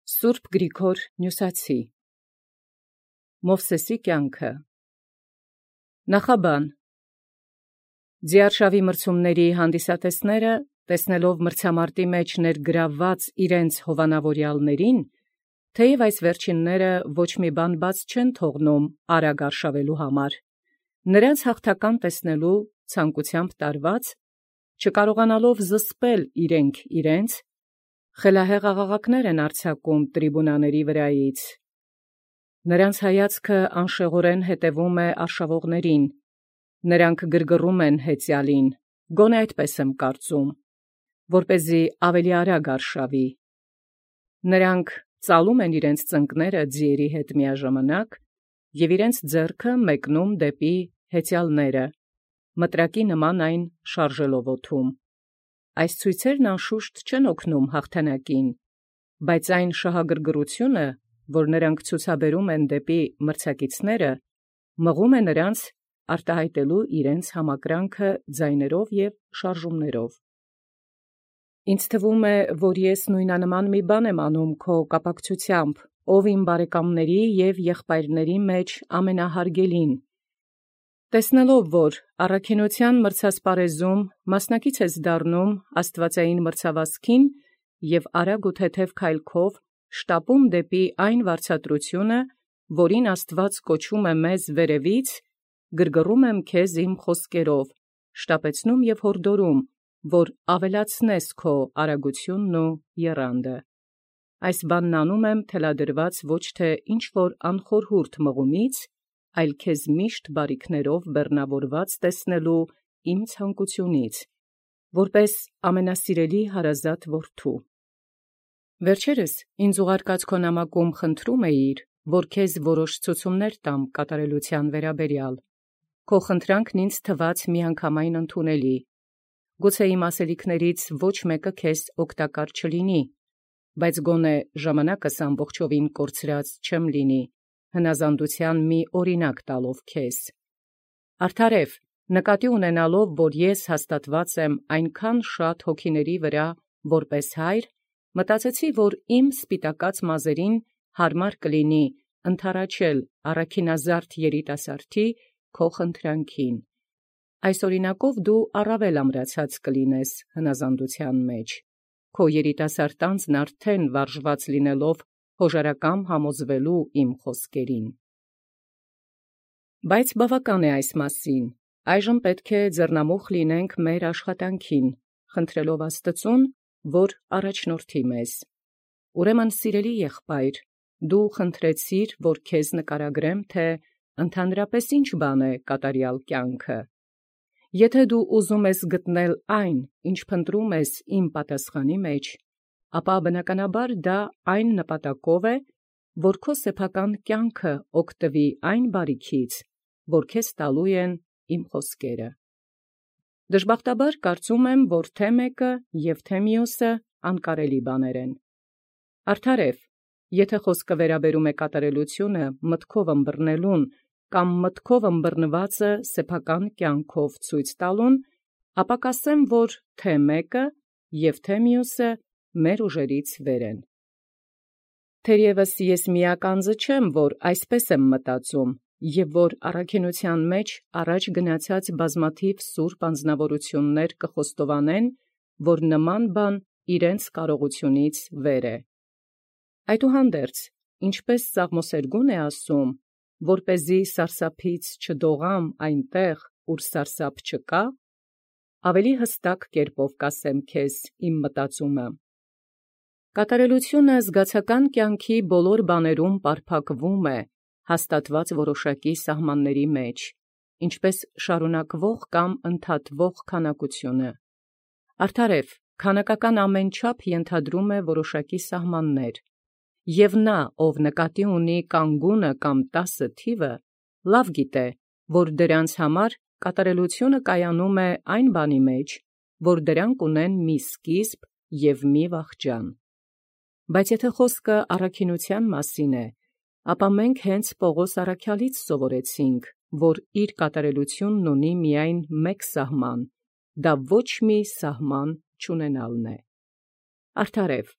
Սուրբ Գրիգոր Նյուսացի Մովսեսի կյանքը Նախաբան Ձիարշավի մրցումների հանդիսատեսները, տեսնելով մրցամարտի մեջ ներգրավված իրենց հովանավորյալներին, թեև այս վերջինները ոչ մի բան բաց չեն թողնում արագ արշավելու համար, նրանց հաղթական տեսնելու ցանկությամբ տարված, չկարողանալով զսպել իրենց, խելահեղ աղաղակներ են արձակում տրիբունաների վրայից։ Նրանց հայացքը անշեղորեն հետևում է արշավողներին, նրանք գրգռում են հեծյալին, գոնե այդպես եմ կարծում, որպեսզի ավելի արագ արշավի։ Նրանք ծալում են իրենց ծնկները ձիերի հետ միաժամանակ և իրենց ձեռքը մեկնում դեպի հեծյալները, մտրակի նման այն շարժելով օդում։ Այս ցույցերն անշուշտ չեն օգնում հաղթանակին, բայց այն շահագրգռությունը, որ նրանք ցուցաբերում են դեպի մրցակիցները, մղում է նրանց արտահայտելու իրենց համակրանքը ձայներով և շարժումներով։ Ինձ թվում է, որ ես նույնանման մի բան եմ անում քո կապակցությամբ, ով իմ բարեկամների և եղբայրների մեջ ամենահարգելին։ Տեսնելով, որ առաքինության մրցասպարեզում մասնակից ես դառնում աստվածային մրցավազքին և արագ ու թեթև քայլքով շտապում դեպի այն վարձատրությունը, որին Աստված կոչում է մեզ վերևից, գրգռում եմ քեզ իմ խոսքերով, շտապեցնում և հորդորում, որ ավելացնես քո արագությունն ու եռանդը։ Այս բանն անում եմ թելադրված ոչ թե ինչ-որ անխորհուրդ մղումից, այլ քեզ միշտ բարիքներով բեռնավորված տեսնելու իմ ցանկությունից, որպես ամենասիրելի հարազատ որդու։ Վերջերս ինձ ուղարկած քո նամակում խնդրում էիր, որ քեզ որոշ ցուցումներ տամ կատարելության վերաբերյալ։ Քո խնդրանքն ինձ թվաց միանգամայն ընդունելի։ Գուցե իմ ասելիքներից ոչ մեկը քեզ օգտակար չլինի, բայց գոնե ժամանակս ամբողջովին կորցրած չեմ լինի, հնազանդության մի օրինակ տալով քեզ։ Արդարև, նկատի ունենալով, որ ես հաստատված եմ այնքան շատ հոգիների վրա որպես հայր, մտածեցի, որ իմ սպիտակած մազերին հարմար կլինի ընդառաջել առաքինազարդ երիտասարդի քո խնդրանքին։ Այս օրինակով դու առավել ամրացած կլինես հնազանդության մեջ, քո երիտասարդ անձն արդեն վարժված լինելով հոժարակամ համոզվելու իմ խոսքերին։ Բայց բավական է այս մասին, այժմ պետք է ձեռնամուխ լինենք մեր աշխատանքին, խնդրելով Աստծուն, որ առաջնորդի մեզ։ Ուրեմն, սիրելի եղբայր, դու խնդրեցիր, որ քեզ նկարագրեմ, թե ընդհանրապես ինչ բան է կատարյալ կյանքը։ Եթե դու ուզում ես գտնել այն, ինչ փնտրում ես իմ պատասխանի մեջ, ապա բնականաբար դա այն նպատակով է, որ քո սեփական կյանքը օգտվի այն բարիքից, որ քեզ տալու են իմ խոսքերը։ Դժբախտաբար կարծում եմ, որ թե մեկը և թե մյուսը անկարելի բաներ են։ Արդարև, եթե խոսքը վերաբերում է կատարելությունը մտքով ըմբռնելուն կամ մտքով ըմբռնվածը սեփական կյանքով ցույց տալուն, ապա կասեմ, որ թե մեկը և թե մյուսը մեր ուժերից վեր են։ Թերևս ես միակ անձը չեմ, որ այսպես եմ մտածում, և որ առաքինության մեջ առաջ գնացած բազմաթիվ սուրբ անձնավորություններ կխոստովանեն, որ նման բան իրենց կարողությունից վեր է։ Այդուհանդերձ, ինչպես Սաղմոսերգուն է ասում, որպեսզի սարսափից չդողամ այնտեղ, ուր սարսափ չկա, ավելի հստակ կերպով կասեմ քեզ իմ մտածումը։ Կատարելությունը զգացական կյանքի բոլոր բաներում պարփակվում է հաստատված որոշակի սահմանների մեջ, ինչպես շարունակվող կամ ընդհատվող քանակությունը։ Արդարև, քանակական ամեն չափ ենթադրում է որոշակի սահմաններ, և նա, ով նկատի ունի կանգունը կամ 10 թիվը, լավ գիտե, որ դրանց համար կատարելությունը կայանում է այն բանի մեջ, որ դրանք ունեն մի սկիզբ և մի վախճան։ Բայց եթե խոսքը առաքինության մասին է, ապա մենք հենց Պողոս առաքյալից սովորեցինք, որ իր կատարելությունն ունի միայն մեկ սահման, դա ոչ մի սահման չունենալն է։ Արդարև,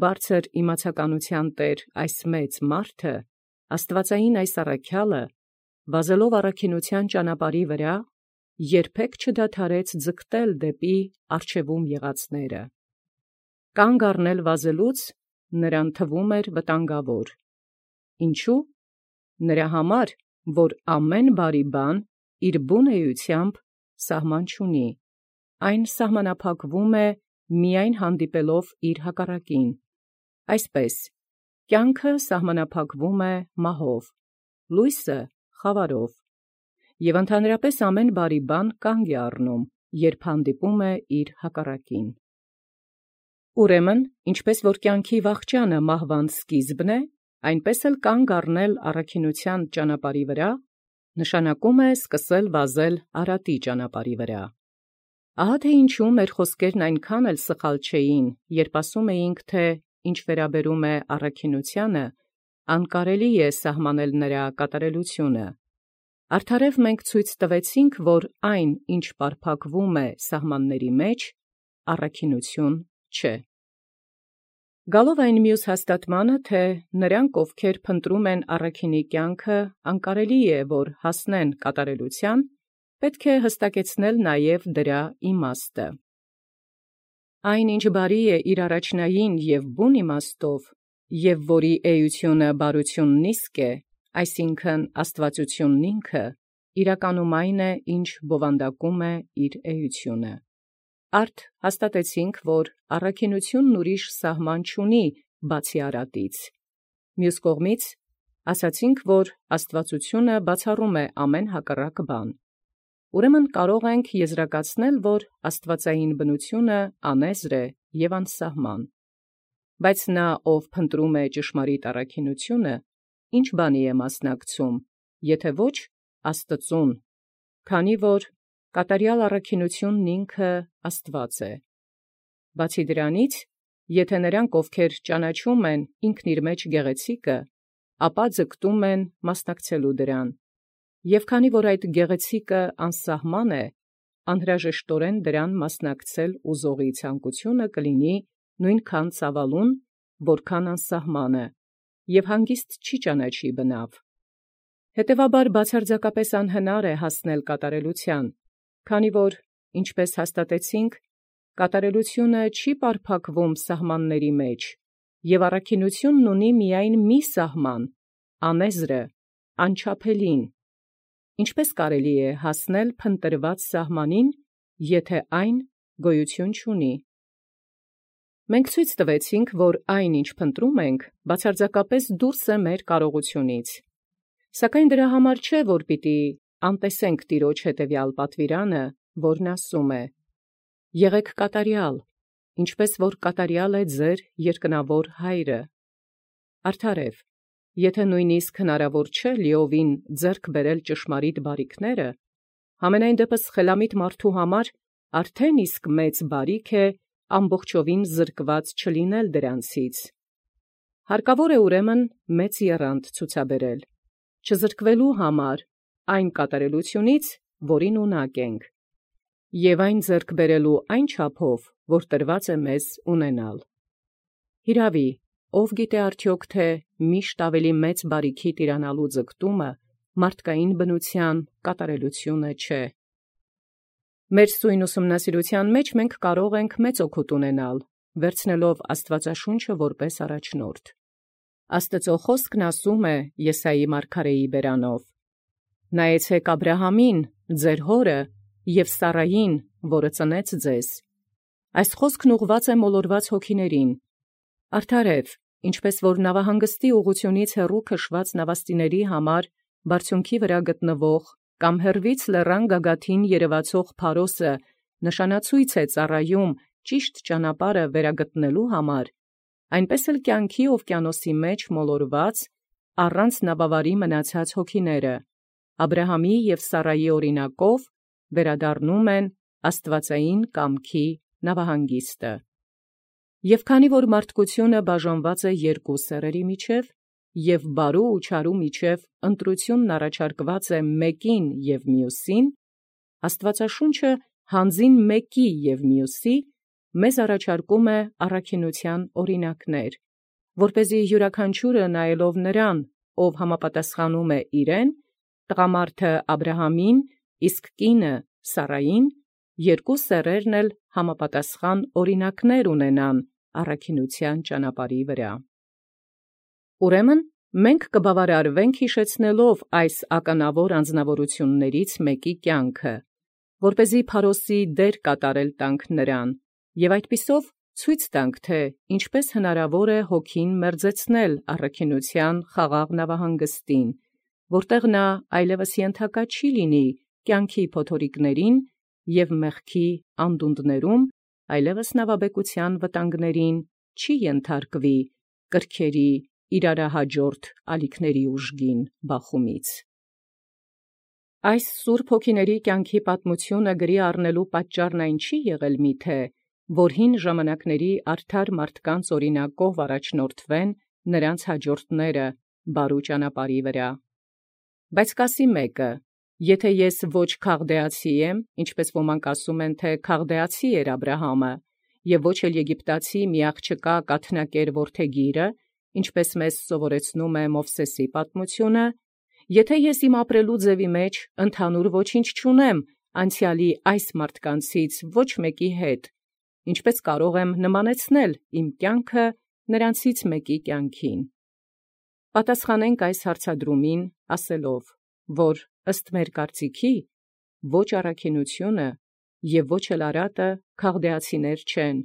բարձր իմացականության տեր այս մեծ մարդը, աստվածային այս առաքյալը, վազելով առաքինության ճանապարհի վրա, երբեք չդադարեց ձգտել դեպի առջևում եղածները։ Կանգ առնել վազելուց նրան թվում էր վտանգավոր։ Ինչու՞։ Նրա համար, որ ամեն բարի բան իր բուն էությամբ սահման չունի, այն սահմանափակվում է միայն հանդիպելով իր հակառակին։ Այսպես, կյանքը սահմանափակվում է մահով, լույսը խավարով, և ընդհանրապես ամեն բարի բան կանգ է առնում, երբ հանդիպում է իր հակառակին։ Ուրեմն, ինչպես որ կյանքի վախճանը մահվան սկիզբն է, այնպես էլ կանգ առնել առաքինության ճանապարհի վրա, նշանակում է սկսել վազել արատի ճանապարհի վրա։ Ահա թե ինչու մեր խոսքերն այնքան էլ սխալ չէին, երբ ասում էինք, թե ինչ վերաբերում է առաքինությանը, անկարելի է սահմանել նրա կատարելությունը։ Արդարև մենք ցույց տվեցինք, որ այն, ինչ պարփակվում է սահմանների մեջ, առաքինություն չէ։ Գալով այն մյուս հաստատմանը, թե նրանք, ովքեր փնտրում են առաքինի կյանքը, անկարելի է, որ հասնեն կատարելության, պետք է հստակեցնել նաև դրա իմաստը։ Այն, ինչ բարի է իր առաջնային և բուն իմաստով, և որի էությունը բարությունն իսկ է, այսինքն աստվածությունն ինքը, իրականում այն է, ինչ բովանդակում է իր էությունը։ Արդ հաստատեցինք, որ առաքինությունն ուրիշ սահման չունի, բացի արատից։ Մյուս կողմից, ասացինք, որ աստվածությունը բացառում է ամեն հակառակ բան։ Ուրեմն կարող ենք եզրակացնել, որ աստվածային բնությունը անեզր է և անսահման։ Բայց նա, ով փնտրում է ճշմարիտ առաքինությունը, ինչ բանի է մասնակցում, եթե ոչ Աստծուն, քանի որ կատարյալ առաքինությունն ինքը Աստված է։ Բացի դրանից, եթե նրանք, ովքեր ճանաչում են ինքն իր մեջ գեղեցիկը, ապա ձգտում են մասնակցելու դրան, և քանի որ այդ գեղեցիկը անսահման է, անհրաժեշտորեն դրան մասնակցել ուզողի ցանկությունը կլինի նույնքան ծավալուն, որքան անսահմանը, և հանգիստ չի ճանաչի բնավ։ Հետևաբար բացարձակապես անհնար է հասնել կատարելության, քանի որ, ինչպես հաստատեցինք, կատարելությունը չի պարփակվում սահմանների մեջ, և առաքինությունն ունի միայն մի սահման, անեզրը, անչափելին։ Ինչպես կարելի է հասնել փնտրված սահմանին, եթե այն գոյություն չունի։ Մենք ցույց տվեցինք, որ այն, ինչ փնտրում ենք, բացարձակապես դուրս է մեր կարողությունից։ Սակայն դրա համար չէ, որ պիտի անտեսենք Տիրոջ հետևյալ պատվիրանը, որն ասում է. «Եղեք կատարյալ, ինչպես որ կատարյալ է ձեր երկնավոր Հայրը»։ Արդարև, եթե նույնիսկ հնարավոր չէ լիովին ձեռք բերել ճշմարիտ բարիքները, համենայն դեպս խելամիտ մարդու համար արդեն իսկ մեծ բարիք է ամբողջովին զրկված չլինել դրանցից։ Հարկավոր է ուրեմն մեծ եռանդ ցուցաբերել, չզրկվելու համար այն կատարելությունից, որին ունակ ենք, և այն ձեռք բերելու այն չափով, որ տրված է մեզ ունենալ։ Հիրավի, ով գիտե արդյոք, թե միշտ ավելի մեծ բարիքի տիրանալու ձգտումը մարդկային բնության կատարելությունը չէ։ Մեր սույն ուսումնասիրության մեջ մենք կարող ենք մեծ օգուտ ունենալ, վերցնելով Աստվածաշունչը որպես առաջնորդ։ Աստծո խոսքն ասում է Եսայի մարգարեի բերանով. «Նայեցեք Աբրահամին, ձեր հորը, և Սարային, որը ծնեց ձեզ»։ Այս խոսքն ուղղված է մոլորված հոգիներին։ Արդարև, ինչպես որ նավահանգստի ուղղությունից հեռու քշված նավաստիների համար բարձունքի վրա գտնվող կամ հեռվից լեռան գագաթին երևացող փարոսը նշանացույց է ծառայում ճիշտ ճանապարհը վերագտնելու համար, այնպես էլ կյանքի օվկիանոսի մեջ մոլորված առանց նավավարի մնացած հոգիները Աբրահամի և Սարայի օրինակով վերադառնում են աստվածային կամքի նավահանգիստը։ Եվ քանի որ մարդկությունը բաժանված է երկու սեռերի միջև, և բարու ու չարու միջև ընտրությունն առաջարկված է մեկին և մյուսին, Աստվածաշունչը հանձին մեկի և մյուսի մեզ առաջարկում է առաքինութեան օրինակներ, որպեսզի յուրաքանչյուրը նայելով նրան, ով համապատասխանում է իրեն, տղամարդը Աբրահամին, իսկ կինը Սարային, երկու սեռերն էլ համապատասխան օրինակներ ունենան առաքինութեան ճանապարհի վրա։ Ուրեմն մենք կբավարարվենք յիշեցնելով այս ականավոր անձնավորություններից մեկի կյանքը, որպեսզի փարոսի դեր կատարել տանք նրան, եւ այդպիսով ցույց տանք, թե ինչպէս հնարավոր է հոգին մերձեցնել առաքինութեան խաղաղ նավահանգստին, որտեղ նա այլևս ենթակա չի լինի կյանքի փոթորիկներին եւ մեղքի անդունդներում, այլևս նավաբեկության վտանգներին չի ենթարկվի կրքերի իրարահաջորդ ալիքների ուժգին բախումից։ Այս սուրբ հոգիների կյանքի պատմությունը գրի առնելու պատճառն այն չի եղել միթե, որ հին ժամանակների արդար մարդկանց օրինակով առաջնորդվեն նրանց հաջորդները բարու ճանապարհի վրա։ Բայց կասի մեկը. եթե ես ոչ քաղդեացի եմ, ինչպես ոմանք ասում են, թե քաղդեացի էր Աբրահամը, եւ ոչ էլ եգիպտացի մի աղջկա կաթնակեր որդեգիրը, ինչպես մեզ սովորեցնում է Մովսեսի պատմությունը, եթե ես իմ ապրելու ձևի մեջ ընդհանուր ոչինչ չունեմ անցյալի այս մարդկանցից ոչ մեկի հետ, ինչպես կարող եմ նմանեցնել իմ կյանքը նրանցից մեկի կյանքին։ Պատասխանենք այս հարցադրումին ասելով, որ ըստ մեր կարծիքի ոչ առաքինությունը եւ ոչ էլ Արատը քաղդեացիներ չեն,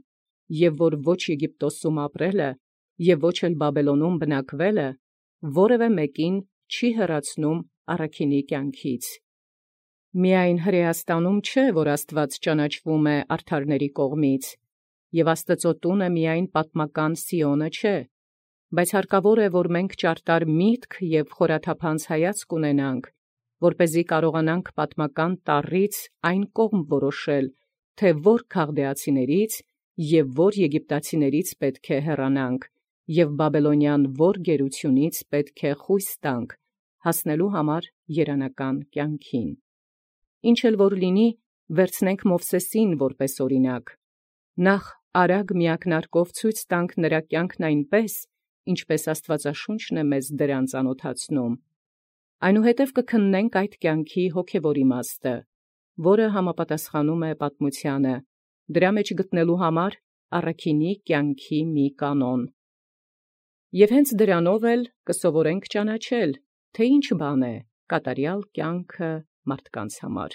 եւ որ ոչ Եգիպտոսում ապրելը եւ ոչ էլ Բաբելոնում բնակվելը որևէ մեկին չի հեռացնում առաքինի կյանքից։ Միայն Հրեաստանում չէ, որ Աստված ճանաչվում է արդարների կողմից, եւ Աստծո տունը միայն պատմական Սիոնը չէ, բայց հարկավոր է, որ մենք ճարտար միտք եւ խորաթափանց հայացք ունենանք, որպեսզի կարողանանք պատմական տառից այն կողմ որոշել, թե որ քաղդեացիներից եւ որ եգիպտացիներից պետք է հեռանանք, եւ բաբելոնյան որ գերությունից պետք է խույս տանք, հասնելու համար երանական կյանքին։ Ինչ էլ որ լինի, վերցնենք Մովսեսին որպես օրինակ։ Նախ արագ միակնարկով ցույց տանք նրա կյանքն այնպես, ինչպես Աստվածաշունչն է մեզ դրան ծանոթացնում։ Այնուհետև կքննենք այդ կյանքի հոգևոր իմաստը, որը համապատասխանում է պատմությանը, դրա մեջ գտնելու համար առաքինի կյանքի մի կանոն։ Եվ հենց դրանով էլ կսովորենք ճանաչել, թե ինչ բան է կատարյալ կյանքը մարդկանց համար։